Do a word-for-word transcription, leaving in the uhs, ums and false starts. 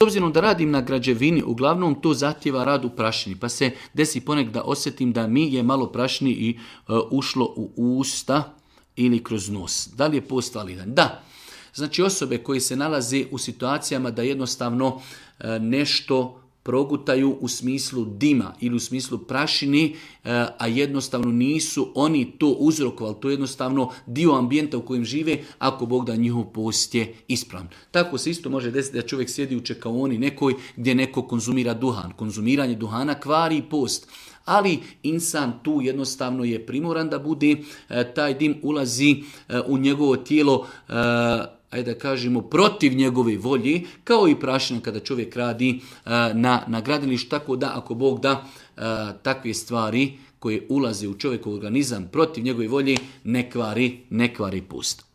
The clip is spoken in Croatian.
S obzirom da radim na građevini, uglavnom to zahtjeva rad u prašini, pa se desi ponekad da osjetim da mi je malo prašni i uh, ušlo u usta ili kroz nos. Da li je post validan? Da. Znači osobe koje se nalaze u situacijama da jednostavno uh, nešto progutaju u smislu dima ili u smislu prašini, a jednostavno nisu oni to uzrokovali, to je jednostavno dio ambijenta u kojem žive, ako Bog da njihov post je ispravan. Tako se isto može desiti da čovjek sjedi u čekaoni nekoj gdje neko konzumira duhan. Konzumiranje duhana kvari post. Ali insan tu jednostavno je primoran da bude, taj dim ulazi u njegovo tijelo, ajde da kažemo, protiv njegove volje, kao i prašina kada čovjek radi na, na gradilištu, tako da ako Bog da takve stvari koje ulaze u čovjekov organizam protiv njegove volje ne kvari, ne kvari post.